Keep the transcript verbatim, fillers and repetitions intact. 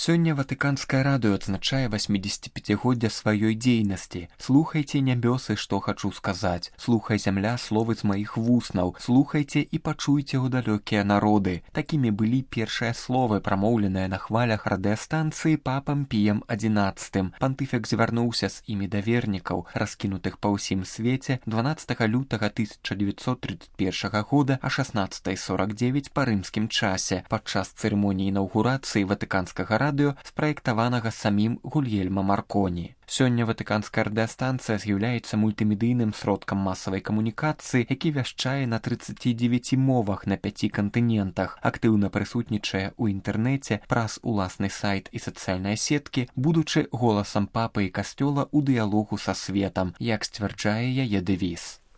Сёння Ватыканскае радыё адзначае васьмідзесяціпяцігоддзе сваёй дзейнасці. Слухайце, нябёсы, што хачу сказаць. Слухай, зямля, словы з маіх вуснаў. Слухайце і пачуйце ў далёкія народы. Такімі былі першыя словы, прамоўленыя на хвалях радыёстанцыі папам Піем адзінаццатым. Пантыфік звярнуўся з імі да вернікаў, раскінутых па ўсім свеце дванаццатага лютага тысяча дзевяцьсот трыццаць першага года а шаснаццатая сорак дзевяць па рымскім часе падчас цырымоніі інаўгурацыі Ватыканскага радыё, спраектаванага самім Гульельма Марконі. Сёння Ватыканская радыёстанцыя з'яўляецца мультымедыйным сродкам масавай камунікацыі, які вяшчае на трыццаці дзевяці мовах на пяці кантынентах, актыўна прысутнічае ў інтэрнэце, праз уласны сайт і сацыяльныя сеткі, будучы голасам папы і касцёла ў дыялогу са светам, як сцвярджае яе дэвіз.